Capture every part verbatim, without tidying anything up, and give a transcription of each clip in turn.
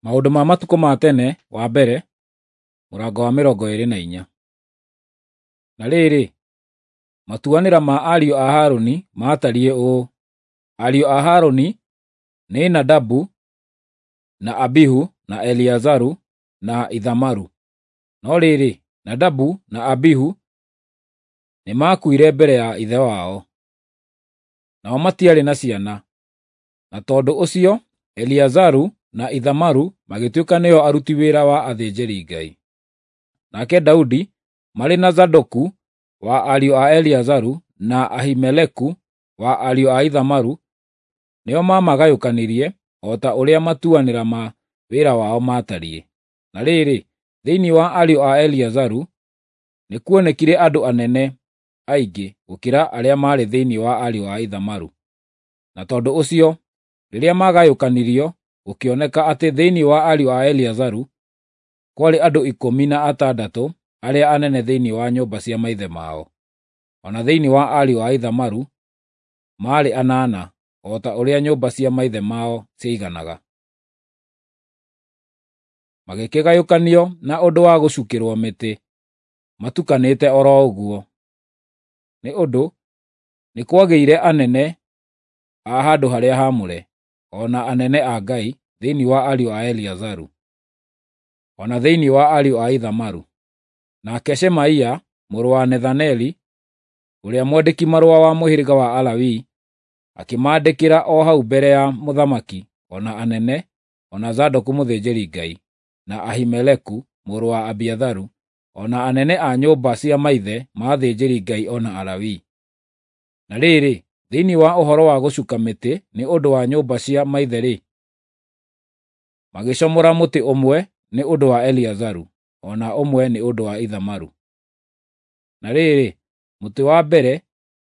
Maũndũ ma Matukũ ma Tene wa mbere, mũrango wa mĩrongo ĩĩrĩ na inya. Na rĩrĩ, matuanĩra ma ariũ a Harũni maatariĩ ũũ: Ariũ a Harũni nĩ Nadabu, na Abihu, na Eleazaru, na Ithamaru. No rĩrĩ, Nadabu na Abihu nĩmakuire mbere ya ithe wao, nao matiarĩ na ciana, na tondũ ũcio Eleazaru na Ithamaru magĩtuĩka nĩo aruti wĩra wa athĩnjĩri-Ngai. Nake Daudi marĩ na Zadoku wa ariũ a Eleazaru na Ahimeleku wa ariũ a Ithamaru nĩo mamagayũkanirie o ta ũrĩa matuanĩra ma wĩra wao maatariĩ. Na rĩrĩ, thĩinĩ wa ariũ a Eleazaru nĩkuonekire andũ anene aingĩ gũkĩra arĩa maarĩ thĩinĩ wa ariũ a Ithamaru. Na tondũ ũcio, rĩrĩa maagayũkanirio, gũkĩoneka atĩ thĩinĩ wa ariũ a Eleazaru kwarĩ andũ ikũmi na atandatũ arĩa anene thĩinĩ wa nyũmba cia maithe mao, o na thĩinĩ wa ariũ a Ithamaru maarĩ anana, o ta ũrĩa nyũmba cia maithe mao ciaiganaga. Magĩkĩgayũkanio na ũndũ wa gũcukĩrwo mĩtĩ matukanĩte o ro ũguo, nĩ ũndũ nĩ kwagĩire anene a handũ-harĩa-haamũre, o na anene a Ngai thĩinĩ wa ariũ a Eleazaru, o na thĩinĩ wa ariũ a Ithamaru. Nake Shemaia mũrũ wa Nethaneli, ũrĩa mwandĩki-marũa wa mũhĩrĩga wa Alawii, akĩmaandĩkĩra o hau mbere ya mũthamaki, o na anene, o na Zadoku mũthĩnjĩri-Ngai, na Ahimeleku mũrũ wa Abiatharu, o na anene a nyũmba cia maithe ma athĩnjĩri-Ngai o na Alawii. Na rĩrĩ, thĩinĩ wa ũhoro wa gũcuuka mĩtĩ nĩ ũndũ wa nyũmba cia maithe-rĩ, magĩcomora mũtĩ ũmwe nĩ ũndũ wa Eleazaru, o na ũmwe nĩ ũndũ wa Ithamaru. Na rĩrĩ, mũtĩ wa mbere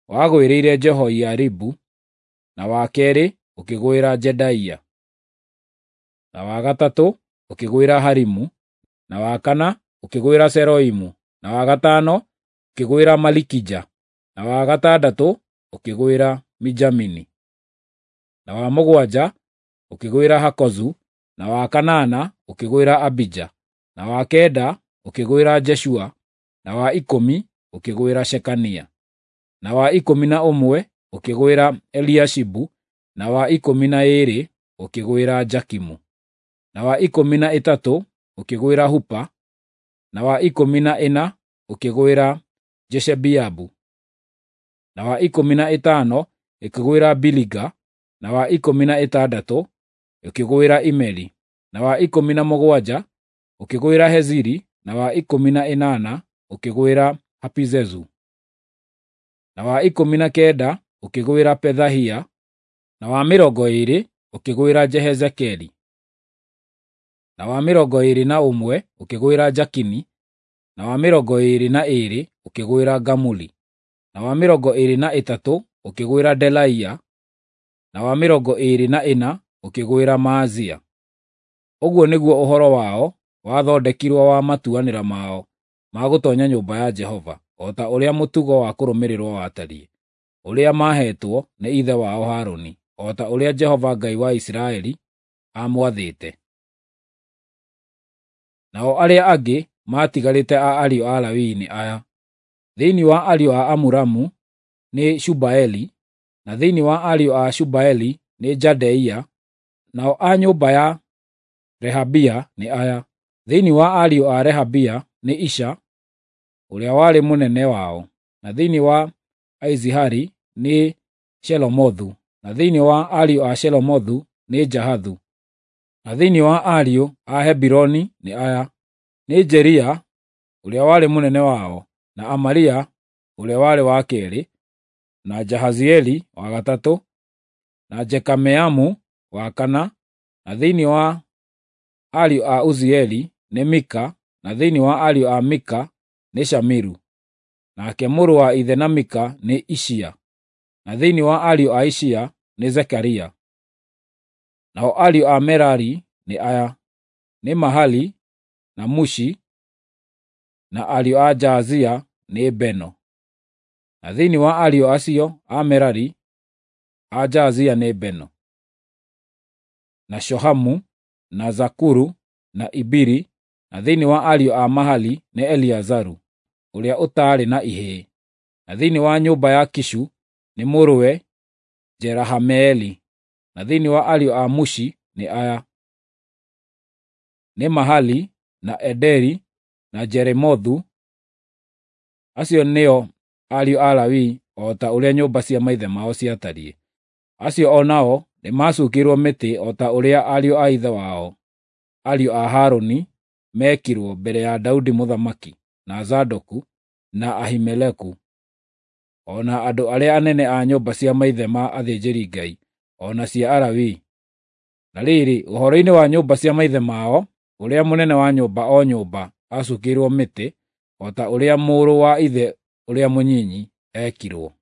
wagwĩrĩire Jehoiaribu, na wa keerĩ ũkĩgwĩra Jedaia, na wa gatatũ ũkĩgwĩra Harimu, na wa kana ũkĩgwĩra Seroimu, na wa gatano ũkĩgwĩra Malikija, na wa gatandatũ ũkĩgwĩra Mijamini, na wa mũgwanja ũkĩgwĩra Hakozu, na wa kanana ũkĩgwĩra Abija, na wa kenda ũkĩgwĩra Jeshua, na wa ikũmi ũkĩgwĩra Shekania, na wa ikũmi na ũmwe ũkĩgwĩra Eliashibu, na wa ikũmi na ĩĩrĩ ũkĩgwĩra Jakimu, na wa ikũmi na ĩtatũ ũkĩgwĩra Hupa, na wa ikũmi na ĩna ũkĩgwĩra Jeshebeabu, na wa ikũmi na ĩtano ĩkĩgwĩra Biliga, na wa ikũmi na ĩtandatũ ĩkĩgwĩra Imeri, na wa ikũmi na mũgwanja ũkĩgwĩra Heziri, na wa ikũmi na ĩnana ũkĩgwĩra Hapizezu, na wa ikũmi na kenda ũkĩgwĩra Pethahia, na wa mĩrongo ĩĩrĩ ũkĩgwĩra Jehezekeli, na wa mĩrongo ĩĩrĩ na ũmwe ũkĩgwĩra Jakini, na wa mĩrongo ĩĩrĩ na ĩĩrĩ ũkĩgwĩra Gamuli, na wa mĩrongo ĩĩrĩ na ĩtatũ ũkĩgwĩra Delaia, na wa mĩrongo ĩĩrĩ na ĩna ũkĩgwĩra Maazia. Ũguo nĩguo ũhoro wao wathondekirwo wa matuanĩra mao ma gũtoonya nyũmba ya Jehova, o ta ũrĩa mũtugo wa kũrũmĩrĩrwo watariĩ, ũrĩa maaheetwo nĩ ithe wao Harũni, o ta ũrĩa Jehova Ngai wa Isiraeli aamwathĩte. Nao arĩa angĩ maatigarĩte a ariũ a Lawii nĩ aya: thĩinĩ wa ariũ a Amuramu nĩ Shubaeli, na thĩinĩ wa ariũ a Shubaeli nĩ Jadeia; nao a nyũmba ya Rehabia nĩ aya: thĩinĩ wa ariũ a Rehabia nĩ Isha ũrĩa warĩ mũnene wao, na thĩinĩ wa Aizihari nĩ Shelomothu, na thĩinĩ wa ariũ a Shelomothu nĩ Jahathu, na thĩinĩ wa ariũ a Hebironi nĩ aya: nĩ Jeria ũrĩa warĩ mũnene wao, na Amaria ũrĩa warĩ wa keerĩ, na Jahazieli wa gatatũ, na Jekameamu wa kana, na thĩinĩ wa ariũ a Uzieli nĩ Mika, na thĩinĩ wa ariũ a Mika nĩ Shamiru, nake mũrũ wa ithe na Mika nĩ Ishia, na thĩinĩ wa ariũ a Ishia nĩ Zekaria. Nao ariũ a Merari nĩ aya: nĩ Mahali na Mushi, na ariũ a Jaazia nĩ Beno. Na thĩinĩ wa ariũ acio a Merari, a Jaazia nĩ Beno, na Shohamu, na Zakuru, na Ibiri; na thĩinĩ wa ariũ a Mahali nĩ Eleazaru, ũrĩa ũtaarĩ na ihĩĩ; na thĩinĩ wa nyũmba ya Kishu nĩ mũrũwe Jerahameeli; na thĩinĩ wa ariũ a Mushi nĩ aya: nĩ Mahali, na Ederi, na Jeremothu. Acio nĩo ariũ a Lawi o ta ũrĩa nyũmba cia maithe mao ciatariĩ. Acio o nao nĩmacuukĩirwo mĩtĩ o ta ũrĩa ariũ a ithe wao, ariũ a Harũni, meekirwo mbere ya Daudi mũthamaki, na Zadoku, na Ahimeleku, o na andũ arĩa anene a nyũmba cia maithe ma athĩnjĩri-Ngai, o na cia Alawii. Na rĩrĩ, ũhoro-inĩ wa nyũmba cia maithe mao, ũrĩa mũnene wa nyũmba o nyũmba aacuukĩirwo mĩtĩ o ta ũrĩa mũrũ wa ithe ũrĩa mũnyinyi eekirwo.